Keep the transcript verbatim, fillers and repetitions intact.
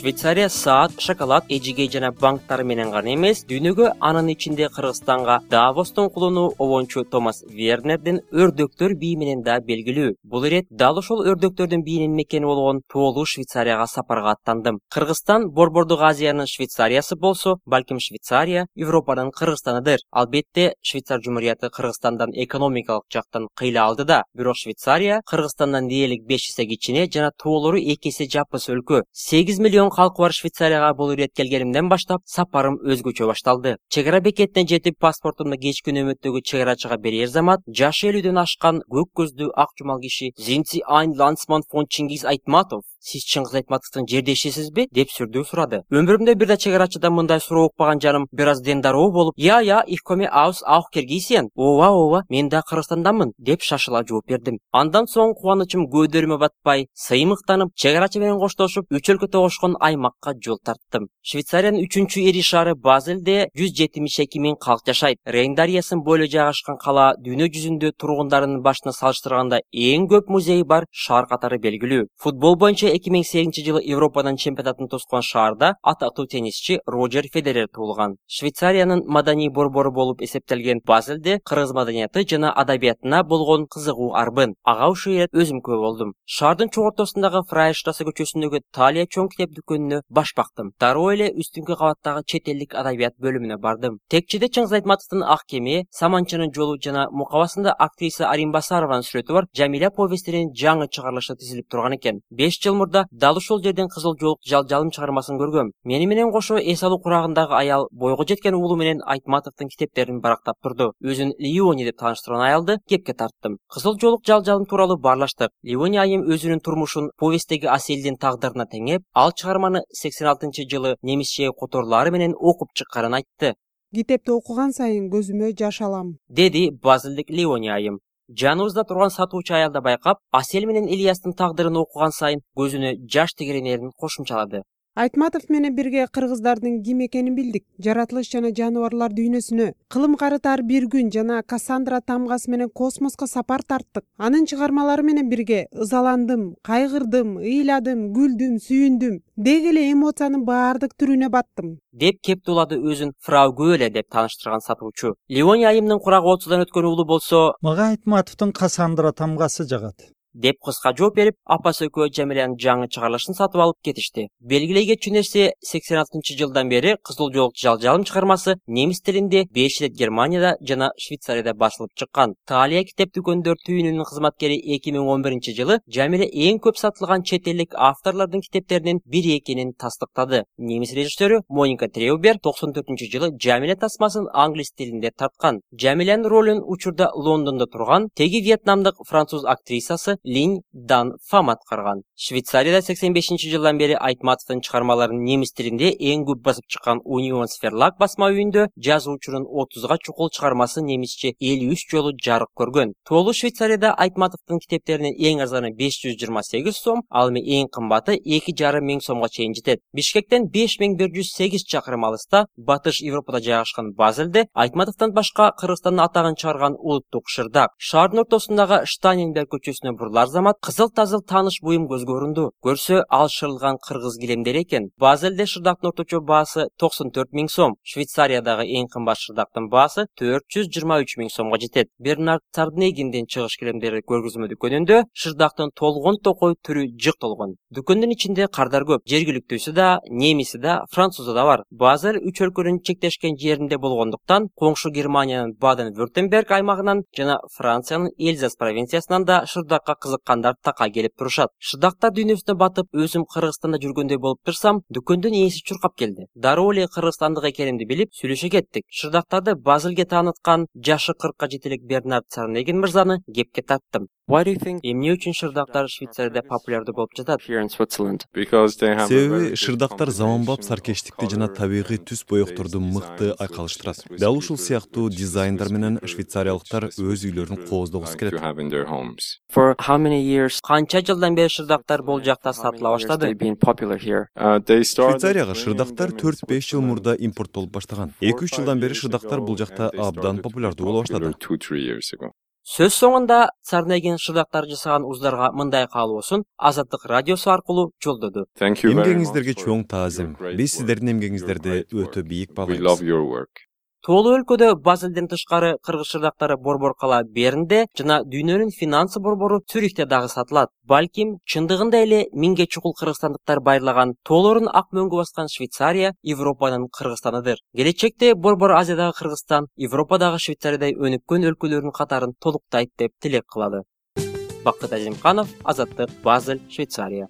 Швейцария саат, шоколад, эжиге жана банктар менен гана эмес, дүйнөгө анын ичинде Кыргызстанга Давостун кулуну обончу Томас Вернердин өрдөктөр бии менен да белгилүү. Бул ирет дал ошол өрдөктөрдүн биинин мекени болгон Тоолуу Швейцарияга сапарга аттандым. Кыргызстан Борбордук Азиянын Швейцариясы болсо, балким Швейцария Европанын Кыргызстаныдыр. Албетте, Швейцар Жумурияты Кыргызстандан экономикалык жактан кыйла алды да, бирок Швейцария Кыргызстандан дээрлик беш эсе кичине жана тоолору эки эсе жапыс өлкө. сегиз миллион калкы бар Швейцарияга бул ирет келгенимден баштап сапарым өзгөчө башталды. Чек ара бекетине жетип паспортумду кечки нөмөттөгү чек арачыга берер замат, жашы элүүдөн ашкан көк көздүү ак жумал киши Зинци Айн Лансман фон Чингиз Айтматов, сиз Чыңгыз Айтматовдун жердешисизби деп сүрдүү сурады. Өмүрүмдө бир да чек арачыдан мындай суроо укпаган жаным бир аз дендароо болуп, "Я, я, ich komme aus auch Kirgisien." "Ооба, ооба, мен да Кыргызстандамын" деп шашыла жооп бердим. Андан соң кубанычым көдөрүмө батпай, сыймыктанып, чек арачы менен коштошуп, үч өлкө тогошкон аймакка жол тарттым. Швейцариянын үчүнчү ири шаары Базелде жүз жетимиш эки миң калк жашайт. Рейн дарыясын бойлой жайгашкан кала дүйнө жүзүндө тургундарынын башына салыштырганда эң көп музейи бар шаар катары белгилүү. Футбол боюнча эки миң сегизинчи жылы Европадан чемпионатын тоскон шаарда атактуу теннисчи Роджер Федерер туулган. Швейцариянын маданий борбору болуп эсептелген Базелде кыргыз маданияты жана адабиятына болгон кызыгуу арбын. Ага ушул ирет өзүм күбө болдум. Шаардын чогортосундагы Фрайштассе көчөсүндөгү Талия чоң китеп дүкөнүнө баш бактым. Дароо эле үстүнкү кабаттагы чет элдик адабият бөлүмүнө бардым. Текчеде Чыңгыз Айтматовдун Ак кеме, Саманчынын жолу жана мукабасында актриса Аримбасарованын сүрөтү бар Жамиля повестинин жаңы чыгарылышы тизилип турган экен. беш жыл мурда дал ушул жерден Кызыл жоолук жал-жалым чыгармасын көргөм. Мени менен кошо эс алуу курагындагы аял бойго жеткен уулу менен Айтматовдун китептерин барактап турду. Өзүн Леони деп тааныштырган аялды кепке тарттым. Кызыл жоолук жал-жалым тууралуу баарлаштык. Леони айым өзүнүн турмушун повесттеги Аселдин тагдырына теңеп, ал чыгарманы сексен алтынчы жылы немисче которлары менен окуп чыкканын айтты. "Китепти окуган сайын көзүмө жаш алам", деди Базелдик Леони айым. Жаныбызда турган сатуучу аялда байкап, Асел менен Ильястын тагдырын окуган сайын көзүнө жаш тегеренерин кошумчалады. Айтматов менен бирге кыргыздардын ким экенин билдик. Жаратылыш жана жаныбарлар дүйнөсүнө, кылым карытар бир күн жана Кассандра тамгасы менен космоско сапар тарттык. Анын чыгармалары менен бирге ызаландым, кайгырдым, ыйладым, күлдүм, сүйүндүм. Деги эле эмоциянын баардык түрүнө баттым. Деп кептулады өзүн Фрау Гөле деп тааныштырган сатуучу. Леони айымдын курагы отуздан өткөн уулу болсо, "Мага Айтматовдун Кассандра тамгасы жагат" деп кыска жооп берип, апасы экөө Жамилянын жаңы чыгарылышын сатып алып кетишти. Белгилей кетчү нерсе, сексен алтынчы жылдан бери Кызыл жоолук жал-жалым чыгармасы немис тилинде беш ирет Германияда жана Швейцарияда басылып чыккан. Талия китеп дүкөндөр түйүнүнүн кызматкери эки миң он биринчи жылы Жамиля эң көп сатылган чет элдик авторлордун китептеринин бири экенин тастыктады. Немис режиссеру Моника Треубер токсон төртүнчү жылы Жамиля тасмасын англис тилинде тарткан. Жамилянын ролун учурда Лондондо турган теги вьетнамдык француз актрисасы Линь Дан Фам аткарган. Швейцарияда сексен бешинчи жылдан бери Айтматовдун чыгармаларын немис тилинде эң көп басып чыккан Unions Verlag басма үйүндө жазуучунун отузга чукул чыгармасы немисче элүү үч жолу жарык көргөн. Тоолуу Швейцарияда Айтматовдун китептеринин эң арзаны беш жүз жыйырма сегиз сом, ал эми эң кымбаты эки жарым миң сомго чейин жетет. Бишкектен беш миң бир жүз сегиз чакырым алыста, Батыш Европада жайгашкан Базелде Айтматовдон башка Кыргызстандын атагын чыгарган улуттук шырдак. Шаардын ортосундагы Штанинберг көчөсүнө бурулар замат кызыл-тазыл тааныш буюм көзгө көрүндү. Көрсө ал шырылган кыргыз килемдер экен. Базелде шырдактын орточо баасы токсон төрт миң сом. Швейцариядагы эң кымбат шырдактын баасы төрт жүз жыйырма үч миң сомго жетет. Бернард Царнегиндин чыгыш килемдери көргөзмө дүкөнүндө шырдактын толгон токой түрү жык толгон. Дүкөндүн ичинде кардар көп. Жергиликтүүсү да, немиси да, французу да бар. Базел үч өлкөнүн чектешкен жеринде болгондуктан, коңшу Германиянын Баден-Вюртемберг аймагынан жана Франциянын Эльзас провинциясынан да шырдакка кызыккандар така келип турушат. Шырдактар дүйнөсүнө батып, өзүм Кыргызстанда жүргөндөй болуп турсам, дүкөндүн ээси чуркап келди. Дароо эле кыргызстандык экенимди билип, сүйлөшө кеттик. Шырдактарды Базелге тааныткан жашы кыркка жетелик Бернард Царнегин мырзаны кепке тарттым. Эмне үчүн шырдактар Швейцарияда популярдуу болуп жатат? Себеби шырдактар заманбап саркештикти жана табигый түс боекторду мыкты айкалыштырат. Дал ушул сыяктуу дизайндар менен швейцариялыктар өз үйлөрүн кооздогусу келет. Канча жылдан бери шырдактар бул жакта сатыла баштады? Швейцарияга шырдактар төрт беш жыл мурда импорттолуп баштаган. эки үч жылдан бери шырдактар бул жакта абдан популярдуу боло баштады. Сөз соңунда Царнеген шырдактар жасаган уздарга мындай каалоосун Азаттык радиосу аркылуу жолдоду. Эмгегиңиздерге чоң таазим. Биз сиздердин эмгегиңиздерди өтө бийик баалайбыз. Тоолуу өлкөдө Базелден тышкары кыргыз шырдактары борбор кала Бернде жана дүйнөнүн финансы борбору Цюрихте дагы сатылат. Балким чындыгында эле миңге чукул кыргызстандыктар байырлаган тоолорун ак мөңгү баскан Швейцария Европанын Кыргызстаныдыр. Келечекте борбор Азиядагы Кыргызстан Европадагы Швейцариядай өнүккөн өлкөлөрдүн катарын толуктайт деп тилек кылады. Бакыт Азимканов, Азаттык, Базель, Швейцария.